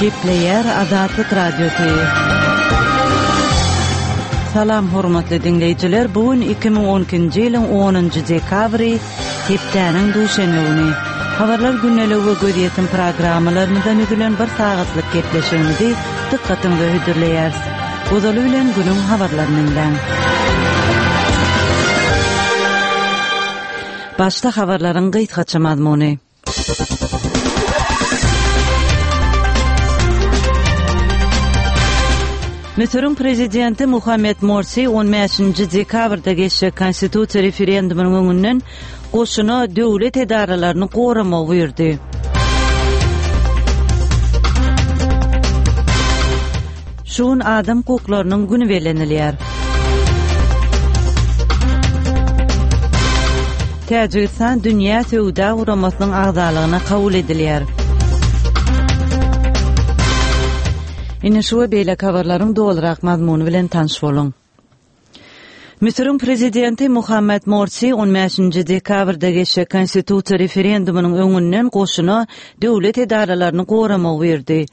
Gepleýär Azatlyk Radiosy. Salam hormatly diňleýjiler, bu gün 2012-nji ýylyň 10-njy dekabry, hepdäniň duşenbe güni. Habarlar gündeligi we gözýetim programmalarymyzdan düzülen bir sagatlyk gepleşigimizi dykgatyňyza hödürleýäris. Ozaly bilen günüň habarlaryny diňläň. Başda habarlaryň gysgaça mazmuny. Müsüriň prezidenti Muhammed Morsi 15-nji dekabrda geçjek konstitusiýa referendumynyň öňünden goşuna döwlet edaralaryny goramagy buýurdy. Şu gün adam hukuklarynyň güni bellenilýär. Täjigistan Dünýä söwda guramasynyň agzalygyna kabul edilýär. Ine şu we beýleki habarlaryň dolurak mazmuny bilen tanyş boluň. Müsüriň prezidenti Muhammed Morsi on bäşinji dekabrda geçjek konstitusiýa referendumynyň öňünden goşuna döwlet edaralaryny goramagy buýurdy.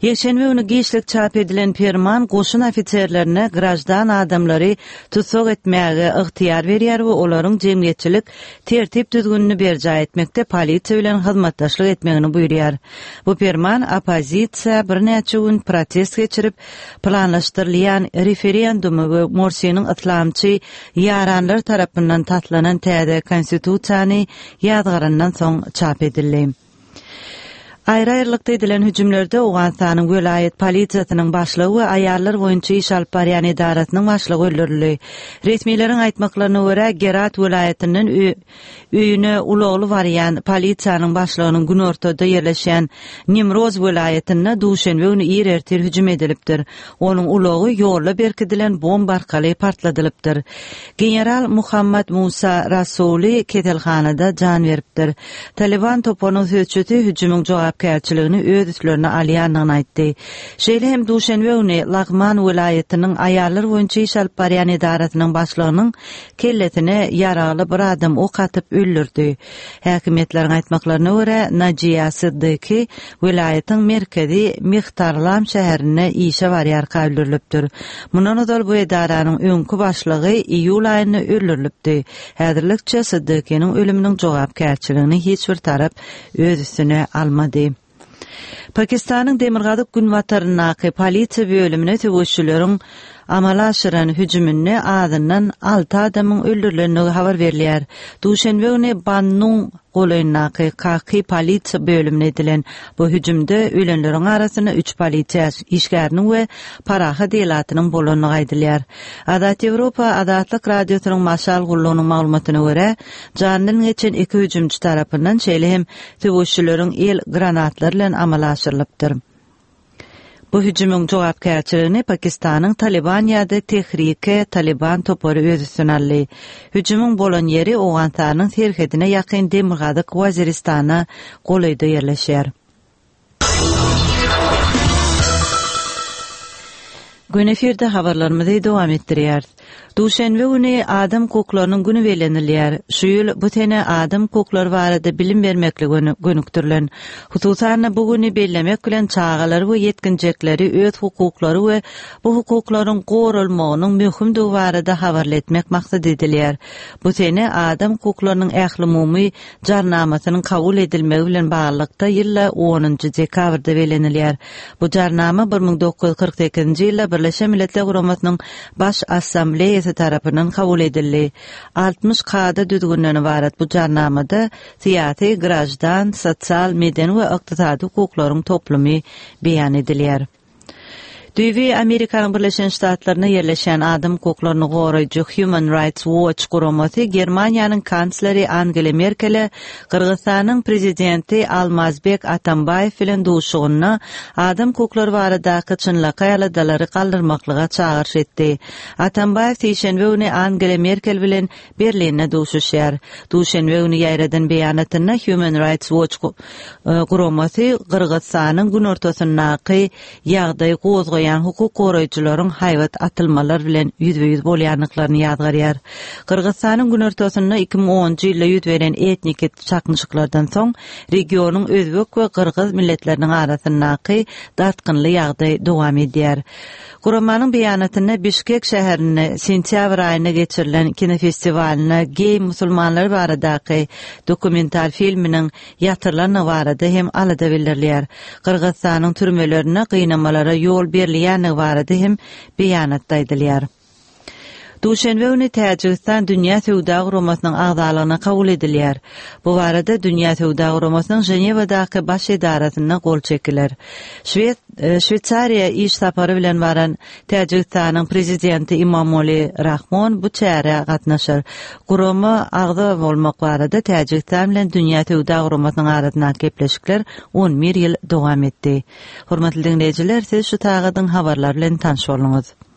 Ýekşenbe güni giçlik çap edilen perman goşun ofiserlerine graždan adamlary tussag etmäge ygtyýar berýär we olaryň jemgyýetçilik tertip-düzgünini berjaý etmekde polisiýa bilen hyzmatdaşlyk etmegini buýurýar. Bu perman oppozisiýa birnäçe gün protest geçirip, planlaşdyrylýan referendumy we Morsiniň yslamçy ýaranlary tarapyndan taslanan täze konstitusiýany ýazgarandan soň çap edildi. Aýry-aýrylykda edilen hüjümlerde Owganystanyň welaýat polisiýasynyň başlygy we aýallar boýunça iş alyp barýan edarasynyň başlygy öldürildi. Resmileriň aýtmaklaryna görä, Gerat welaýatyndan öýüne ulagly barýan polisiýanyň başlygynyň günortada ýerleşýän Nimroz welaýatynda duşenbe güni ir ertir hüjüm edilipdir. Onuň ulagy ýolda berkidilen bomba arkaly partladylypdyr. General Muhammad Musa Rasuli keselhanada jan beripdir. Talyban toparynyň sözçüsi hüjümiň jogapkärçiligini öz üstlerine alýandygyny aýtdy. Şeýle hem duşenbe güni Lagman welaýatynyň aýallar boýunça iş alyp barýan edarasynyň başlygynyň kellesine ýaragly bir adam ok atyp öldürdi. Häkimiýetleriň aýtmaklaryna görä, Najiýa Siddiqi welaýatyň merkezi Mihtarlam şäherinde işe barýarka öldürilipdir. Mundan ozal bu edaranyň öňki başlygy iýul aýynda öldürilipdi. Häzirlikçe Siddiqiniň ölüminiň jogapkärçiligini hiç bir tarap öz üstüne almady. Pakistanyň demirgazyk-günbataryndaky polisiýa bölümine söweşçileriň amala aşyran hüjüminde azyndan alty adamyň öldürilendigi habar berilýär. Duşenbe güni Bannuň golaýyndaky Kaki polisiýa bölümine edilen bu hüjümde ölenleriň arasynda üç polisiýa işgäriniň we parahat ilatynyň bolandygy aýdylýar. Azat Ýewropa Azatlyk Radiosynyň Maşal gullugynyň maglumatyna görä, jandan geçen iki hüjümçi tarapyndan şeýle hem söweşçileriň el granatlary bilen amala aşyrylypdyr. Bu hüjümiň jogapkärçiligini Pakistanyň Talyban ýa-da Tehrike Talyban topary öz üstüne aldy. Hüjümiň bolan ýeri Owganystanyň serhedine ýakyn Demirgazyk Waziristana golaýda ýerleşýär. Gün efirde habarlarymyzy dowam etdirýäris. Duşenbe güni Adam hukuklarynyň güni bellenilýär. Şu ýyl bu sene adam hukuklary barada bilim bermeklige gönükdirilen. Hususan-da, bu güni bellemek bilen çagalary we ýetginjekleri öz hukuklary we bu hukuklaryň goralmagynyň möhümdigi barada habarly etmek maksat edilýär. Bu sene adam hukuklarynyň ählumumy Jarnamasynyň kabul edilmegi bilen baglylykda ýylda onunjy dekabrda bellenilýär. Bu Jarnama 1948-nji ýylda Birleşen Milletler Guramasynyň Baş Assambleýasy tarapyndan kabul edildi. 60 kada-düzgünden ybarat bu Jarnamada syýasy, graždan, sosial, medeni we ykdysady hukuklaryň toplumy beýan edilýär. Düýbi Amerikanyň Birleşen Ştatlarynda ýerleşýän adam hukuklaryny goraýjy Human Rights Watch guramasy Germaniýanyň kansleri Angela Merkele Gyrgyzystanyň prezidenti Almazbek Atambaýew bilen duşuşygynda adam hukuklary baradaky çynlakaý aladalary galdyrmaklyga çagyryş etdi. Atambaýew sişenbe güni Angela Merkel bilen Berlinde duşuşýar. Duşenbe güni ýaýradan beýanatynda Human Rights Watch guramasy Gyrgyzystanyň günortasyndaky ýagdaý gozgaýan. goraýan hukuk goraýjylaryň haýbat atylmalar bilen ýüzbe-ýüz bolýandyklaryny ýazgarýar. Gyrgyzystanyň günortasynda 2010-njy ýylda ýüz beren etniki çaknyşyklardan soň regionyň özbek we gyrgyz milletleriniň arasyndaky dartgynly ýagdaý dowam edýär. Guramanyň beýanatynda Bişkek şäherinde sentýabr aýynda geçirilen kinofestiwalynda geý musulmanlar baradaky dokumental filminiň ýatyrylandygy barada hem alada bildirilýär. Gyrgyzystanyň türmelerinde gynamalara ýol berilýändigi barada hem beýanatda aýdylýar. Duşenbe güni Täjigistan Dünýä Söwda Guramasynyň agzalygyna kabul edilýär. Bu barada Dünýä Söwda Guramasynyň Ženewadaky baş edarasynda gol çekiler. Şwed Şweýsariýa iş sapary bilen baran Täjigistanyň Prezidenti Imomoli Rahmon bu çärä gatnaşar. Gurama agza bolmak barada Täjigistan bilen Dünýä Söwda Guramasynyň arasyndaky gepleşikler on bir ýyl dowam etdi. Hormatly diňleýjiler, siz şu sagadyň habarlary bilen tanyş bolduňyz.